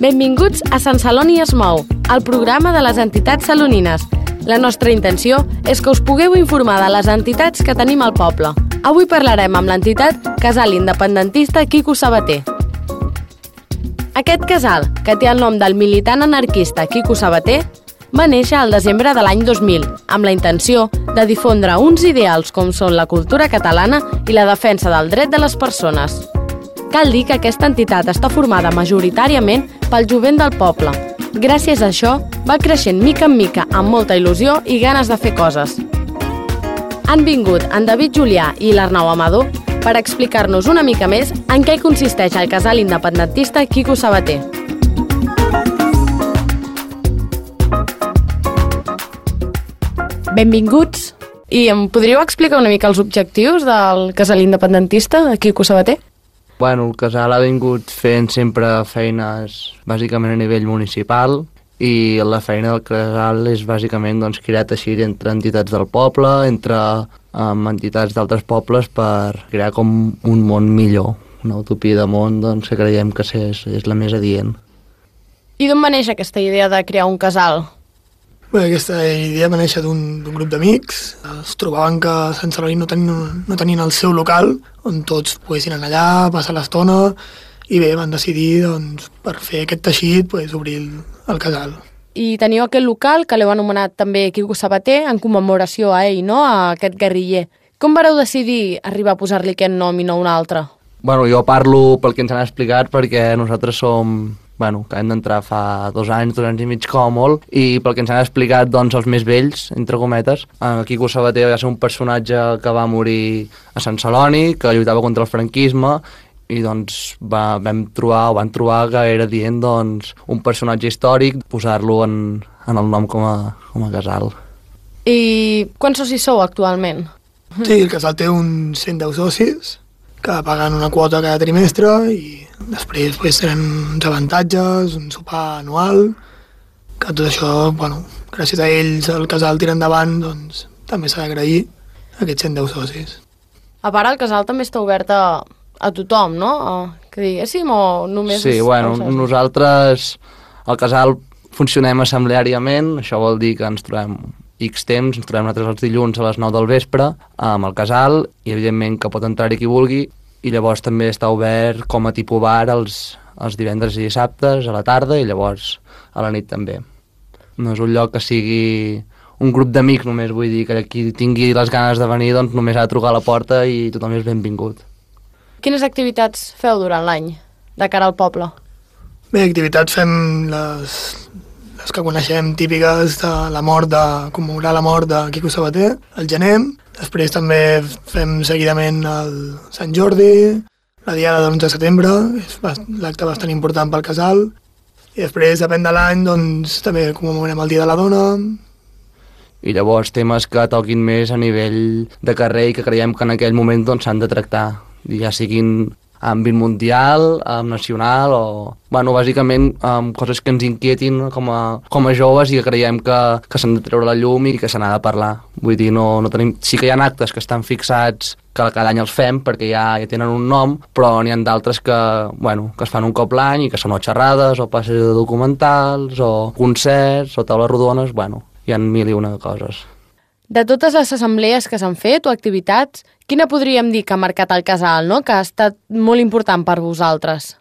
Benvinguts a Sant Celoni es mou, el programa de les entitats salonines. La nostra intenció és que us pugueu informar de les entitats que tenim al poble. Avui parlarem amb l'entitat Casal Independentista Quico Sabater. Aquest casal, que té el nom del militant anarquista Quico Sabater, va néixer al desembre de l'any 2000, amb la intenció de difondre uns ideals com són la cultura catalana i la defensa del dret de les persones. Cal dir que aquesta entitat està formada majoritàriament pel jovent del poble. Gràcies a això, va creixent mica en mica amb molta il·lusió i ganes de fer coses. Han vingut en David Julià i l'Arnau Amador per explicar-nos una mica més en què consisteix el casal independentista Quico Sabater. Benvinguts. I em podríeu explicar una mica els objectius del casal independentista Quico Sabater? Bueno, el casal ha vingut fent sempre feines bàsicament a nivell municipal i la feina del casal és bàsicament crear teixit entre entitats del poble, entre entitats d'altres pobles per crear com un món millor, una utopia de món que creiem que és la més adient. I d'on va néixer aquesta idea de crear un casal? Bé, aquesta idea va néixer d'un grup d'amics. Es trobaven que a Sant Celoni no tenien el seu local on tots poguessin anar allà, passar l'estona, i bé, van decidir per fer aquest teixit obrir el casal. I teniu aquest local que l'heu anomenat també Quico Sabater en commemoració a ell, no? A aquest guerriller. Com vareu decidir arribar a posar-li aquest nom i no un altre? Bueno, jo parlo pel que ens han explicat perquè nosaltres som... que hem d'entrar fa 2 anys i mig com a molt, i pel que ens han explicat, els més vells, entre cometes, Quico Sabater va ser un personatge que va morir a Sant Celoni, que lluitava contra el franquisme, i van trobar que era dient un personatge històric, posar-lo en el nom com a casal. I quants socis sou actualment? Sí, el casal té uns 110 socis, que paguen una quota cada trimestre i després tenen uns avantatges, un sopar anual, que tot això, gràcies a ells el casal tira endavant, també s'ha d'agrair a aquests 110 socis. A part, el casal també està obert a tothom, no? Que diguéssim, o només... Sí, nosaltres al casal funcionem assembleàriament, això vol dir que ens trobem X temps, ens trobem nosaltres els dilluns a les 9 del vespre amb el casal i evidentment que pot entrar-hi qui vulgui, i llavors també està obert com a tipus bar els divendres i dissabtes a la tarda i llavors a la nit també. No és un lloc que sigui un grup d'amics només, vull dir que qui tingui les ganes de venir només ha de trucar a la porta i tothom és benvingut. Quines activitats feu durant l'any de cara al poble? Bé, activitats fem les que coneixem típiques de commemorar la mort de Quico Sabater, el gener. Després també fem seguidament el Sant Jordi, la diada de l'11 de setembre, és l'acte bastant important pel casal. I després, depèn de l'any, també commemorem el Dia de la Dona. I llavors temes que toquin més a nivell de carrer i que creiem que en aquell moment s'han de tractar, ja siguin àmbit mundial, nacional o... bàsicament coses que ens inquietin com a joves i que creiem que s'han de treure la llum i que se n'ha de parlar. Vull dir, no tenim... Sí que hi ha actes que estan fixats que cada any els fem perquè ja tenen un nom, però n'hi ha d'altres que es fan un cop l'any i que són o xerrades o passes de documentals o concerts o taules rodones, hi ha 1001 coses. De totes les assemblees que s'han fet o activitats, quina podríem dir que ha marcat el casal, no? Que ha estat molt important per vosaltres?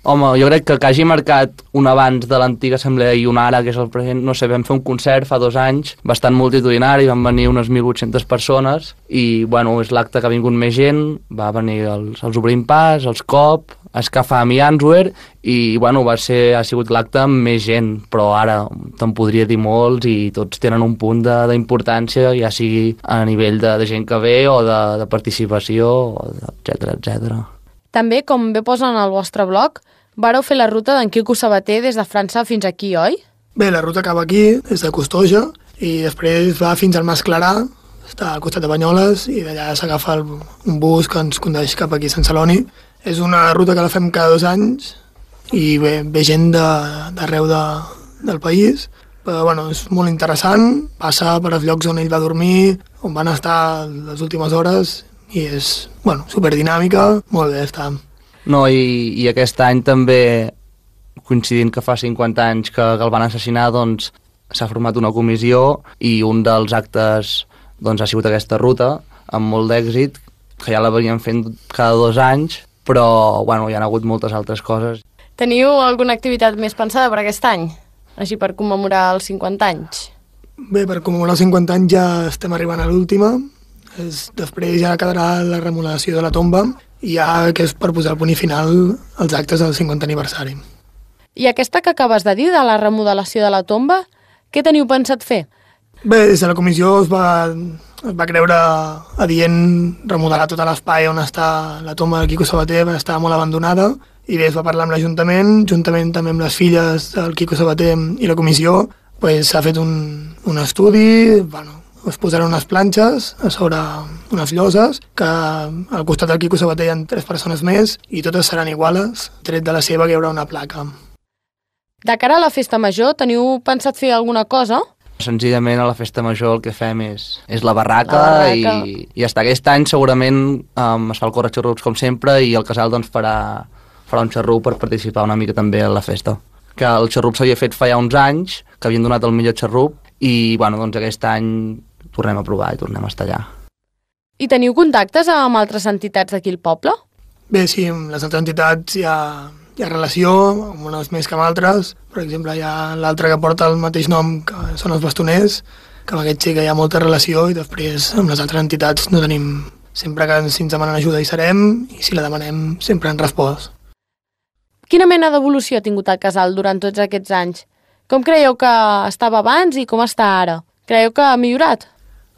Home, jo crec que hagi marcat un abans de l'antiga assemblea i un ara, que és el present, no sé, vam fer un concert fa 2 anys, bastant multitudinari, van venir unes 1.800 persones i, és l'acte que ha vingut més gent, va venir els Obrim Pas, els COP, Escafam i Answer, i, ha sigut l'acte amb més gent, però ara te'n podria dir molts i tots tenen un punt d'importància, ja sigui a nivell de gent que ve o de participació, etcètera. També, com bé posen al vostre blog, vareu fer la ruta d'en Quico Sabater des de França fins aquí, oi? Bé, la ruta acaba aquí, des de Costoja, i després va fins al Mas Clarà, està al costat de Banyoles, i d'allà s'agafa un bus que ens condueix cap aquí a Sant Celoni. És una ruta que la fem cada 2 anys, i ve gent d'arreu del país, però és molt interessant, passa per els llocs on ell va dormir, on van estar les últimes hores, i és, superdinàmica, molt bé està. No, i aquest any també coincidint que fa 50 anys que el van assassinar, doncs s'ha format una comissió i un dels actes doncs, ha sigut aquesta ruta, amb molt d'èxit, que ja la veníem fent cada 2 anys, però bueno, hi ha hagut moltes altres coses. Teniu alguna activitat més pensada per aquest any? Així per commemorar els 50 anys? Bé, per commemorar els 50 anys ja estem arribant a l'última. Després ja quedarà la remodelació de la tomba i ja que és per posar el punt final als actes del 50 aniversari. I aquesta que acabes de dir, de la remodelació de la tomba, què teniu pensat fer? Bé, des de la comissió es va creure adient remodelar tot l'espai on està la tomba del Quico Sabater, va estar molt abandonada, i bé, es va parlar amb l'Ajuntament, juntament també amb les filles del Quico Sabater i la comissió, pues, s'ha fet un estudi, bueno, es posaran unes planxes a sobre unes lloses, que al costat del Quico Sabater hi ha 3 persones més i totes seran iguales, tret de la seva que hi haurà una placa. De cara a la festa major, teniu pensat fer alguna cosa? Senzillament a la festa major el que fem és la barraca. I ja està. Aquest any segurament es fa el corre-xarrups com sempre i el casal doncs, farà un xarrup per participar una mica també a la festa. Que el xarrup s'havia fet fa ja uns anys, que havien donat el millor xarrup i bueno, doncs aquest any tornem a provar i tornem a estar allà. I teniu contactes amb altres entitats d'aquí al poble? Bé, sí, amb les altres entitats hi ha relació, amb unes més que amb altres. Per exemple, hi ha l'altre que porta el mateix nom, que són els bastoners, que amb aquest sí que hi ha molta relació, i després amb les altres entitats no tenim... Sempre que ens demanen ajuda hi serem, i si la demanem sempre han respost. Quina mena d'evolució ha tingut el casal durant tots aquests anys? Com creieu que estava abans i com està ara? Creieu que ha millorat?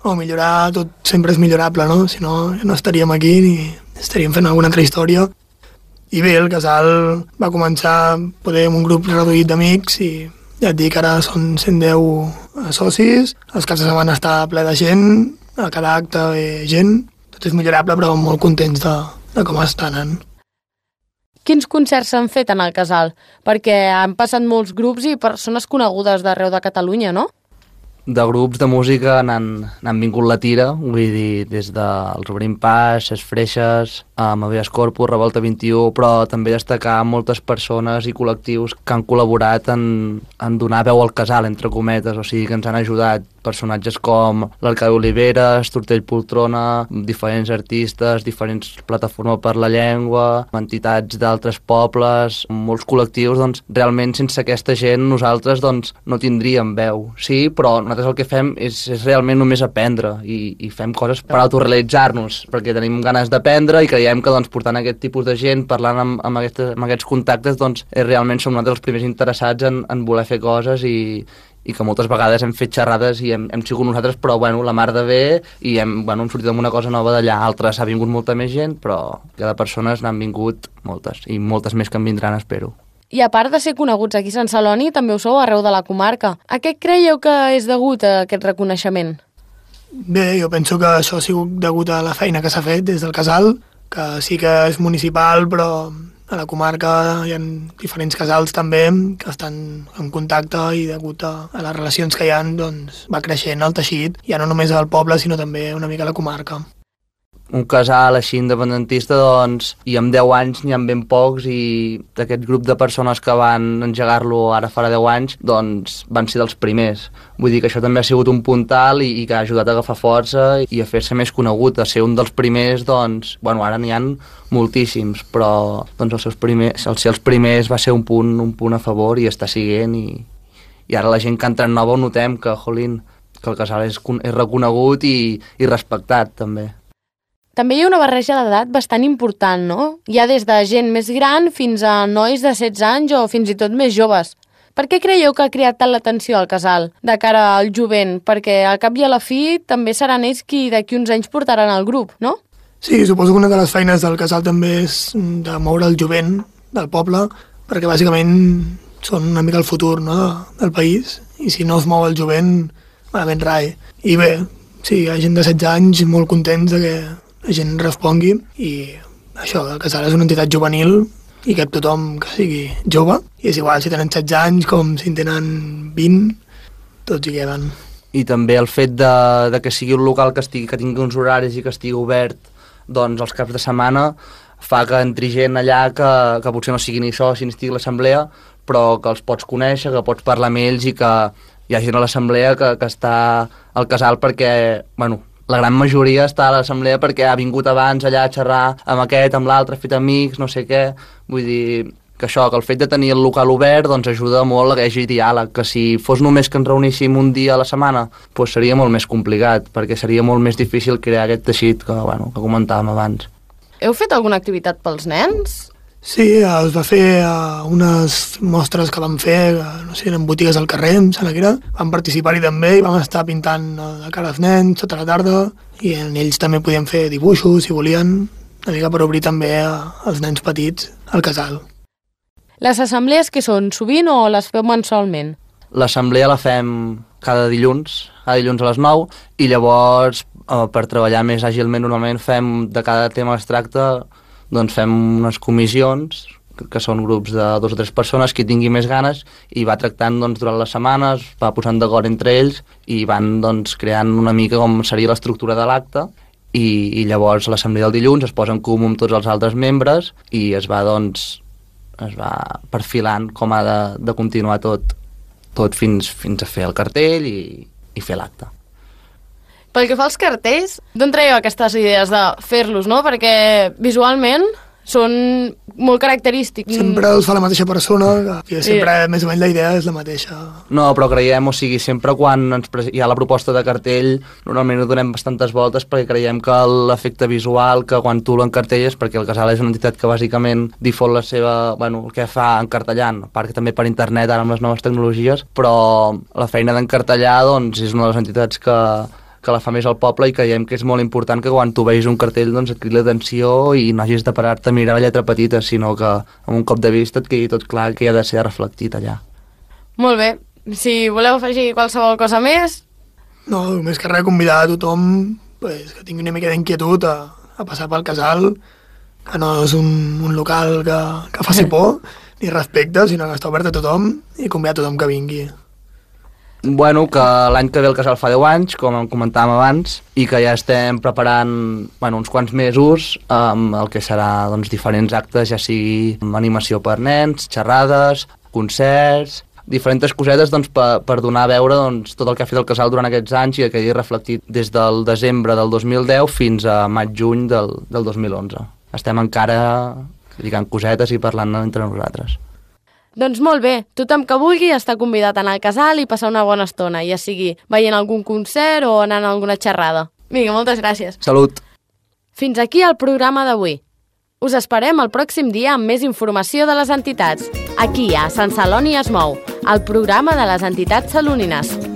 Millorar tot sempre és millorable, no? Si no, no estaríem aquí ni estaríem fent alguna altra història. I bé, el casal va començar poder amb un grup reduït d'amics i ja et dic, ara són 110 socis, els caps de setmana està ple de gent, a cada acte ve gent, tot és millorable però molt contents de com està anant. Quins concerts s'han fet en el casal? Perquè han passat molts grups i persones conegudes d'arreu de Catalunya, no? De grups de música n'han vingut la tira, vull dir, des dels Obrim Pas, Les Freixes, Habeas Corpus, Revolta 21, però també destacar moltes persones i col·lectius que han col·laborat en donar veu al casal, entre cometes, o sigui que ens han ajudat personatges com l'Arcadi Oliveres, Tortell Poltrona, diferents artistes, diferents plataformes per la llengua, entitats d'altres pobles, molts col·lectius, doncs realment sense aquesta gent nosaltres doncs no tindríem veu. Sí, però nosaltres el que fem és realment només aprendre i fem coses per autorrealitzar-nos, perquè tenim ganes d'aprendre i creiem que doncs, portant aquest tipus de gent, parlant amb aquests contactes, doncs realment som nosaltres els primers interessats en voler fer coses i que moltes vegades hem fet xerrades i hem sigut nosaltres, però bueno, la mar de bé i hem sortit amb una cosa nova d'allà. Altres ha vingut molta més gent, però cada persones n'han vingut moltes i moltes més que en vindran, espero. I a part de ser coneguts aquí a Sant Celoni, també ho sou arreu de la comarca. A què creieu que és degut a aquest reconeixement? Bé, jo penso que això ha sigut degut a la feina que s'ha fet des del casal, que sí que és municipal, però a la comarca hi ha diferents casals també que estan en contacte i degut a les relacions que hi ha, doncs, va creixent el teixit, ja no només al poble, sinó també una mica a la comarca. Un casal així independentista, doncs, i amb 10 anys n'hi ha ben pocs i d'aquest grup de persones que van engegar-lo ara farà 10 anys, doncs van ser dels primers. Vull dir que això també ha sigut un puntal i que ha ajudat a agafar força i a fer-se més conegut, a ser un dels primers, doncs, bueno, ara n'hi ha moltíssims, però doncs el ser els primers va ser un punt a favor i està siguent i ara la gent que entra en nova ho notem que, jolín, que el casal és reconegut i respectat també. També hi ha una barreja d'edat bastant important, no? Hi ha des de gent més gran fins a nois de 16 anys o fins i tot més joves. Per què creieu que ha creat tant l'atenció al casal de cara al jovent? Perquè al cap i a la fi també seran ells qui d'aquí uns anys portaran el grup, no? Sí, suposo que una de les feines del casal també és de moure el jovent del poble, perquè bàsicament són una mica el futur, no?, del país, i si no es mou el jovent, malament rai. I bé, sí, hi ha gent de 16 anys molt contents de que la gent respongui i això, el casal és una entitat juvenil i cap tothom que sigui jove i és igual si tenen 16 anys com si en tenen 20, tots hi queden. I també el fet de que sigui un local que tingui uns horaris i que estigui obert doncs els caps de setmana fa que entri gent allà que potser no sigui ni soci ni estigui a l'assemblea, però que els pots conèixer, que pots parlar amb ells i que hi ha gent a l'assemblea que està al casal perquè, bueno, la gran majoria està a l'assemblea perquè ha vingut abans allà a xerrar amb aquest, amb l'altre, ha fet amics, no sé què. Vull dir que això, que el fet de tenir el local obert doncs ajuda molt a que hi hagi diàleg, que si fos només que ens reuníssim un dia a la setmana doncs seria molt més complicat, perquè seria molt més difícil crear aquest teixit que comentàvem abans. Heu fet alguna activitat pels nens? Sí, es va fer unes mostres que vam fer, no sé, en botigues al carrer, em sembla que era. Vam participar-hi també i vam estar pintant la cara als nens tota la tarda i en ells també podien fer dibuixos, si volien, una mica per obrir també als nens petits al casal. Les assemblees que són sovint o les feu mensualment? L'assemblea la fem cada dilluns a les 9, i llavors per treballar més àgilment normalment fem de cada tema que es tracta, doncs fem unes comissions que són grups de 2 o 3 persones que tingui més ganes i va tractant doncs, durant les setmanes, va posant d'acord entre ells i van doncs, creant una mica com seria l'estructura de l'acte i llavors l'assemblea del dilluns es posa en comú amb tots els altres membres i es va perfilant com ha de continuar tot fins a fer el cartell i fer l'acte. Pel que fa als cartells, d'on traieu aquestes idees de fer-los, no? Perquè visualment són molt característics. Sempre els fa la mateixa persona, que sempre més o menys la idea és la mateixa. No, però creiem, sempre quan hi ha la proposta de cartell, normalment ho donem bastantes voltes perquè creiem que l'efecte visual, que quan tu l'encartelles, perquè el casal és una entitat que bàsicament difon la seva, el que fa encartellant, a part que també per internet ara amb les noves tecnologies, però la feina d'encartellar doncs, és una de les entitats que la fa més al poble i creiem que és molt important que quan tu veus un cartell doncs et cridi l'atenció i no hagis de parar-te a mirar la lletra petita, sinó que amb un cop de vista et quedi tot clar que hi ha de ser reflectit allà. Molt bé. Si voleu afegir qualsevol cosa més... No, més que res convidar a tothom que tingui una mica d'inquietud a passar pel casal, que no és un local que faci por ni respecte, sinó que està obert a tothom i convidar a tothom que vingui. Que l'any que ve el casal fa 10 anys, com comentàvem abans, i que ja estem preparant uns quants mesos amb el que serà diferents actes, ja sigui animació per nens, xerrades, concerts, diferents cosetes per donar a veure tot el que ha fet el casal durant aquests anys i que quedi reflectit des del desembre del 2010 fins a maig-juny del 2011. Estem encara lligant cosetes i parlant entre nosaltres. Doncs molt bé, tothom que vulgui està convidat a anar al casal i passar una bona estona, ja sigui veient algun concert o anant a alguna xerrada. Vinga, moltes gràcies. Salut! Fins aquí el programa d'avui. Us esperem el pròxim dia amb més informació de les entitats, aquí a Sant Celoni es mou, el programa de les entitats salonines.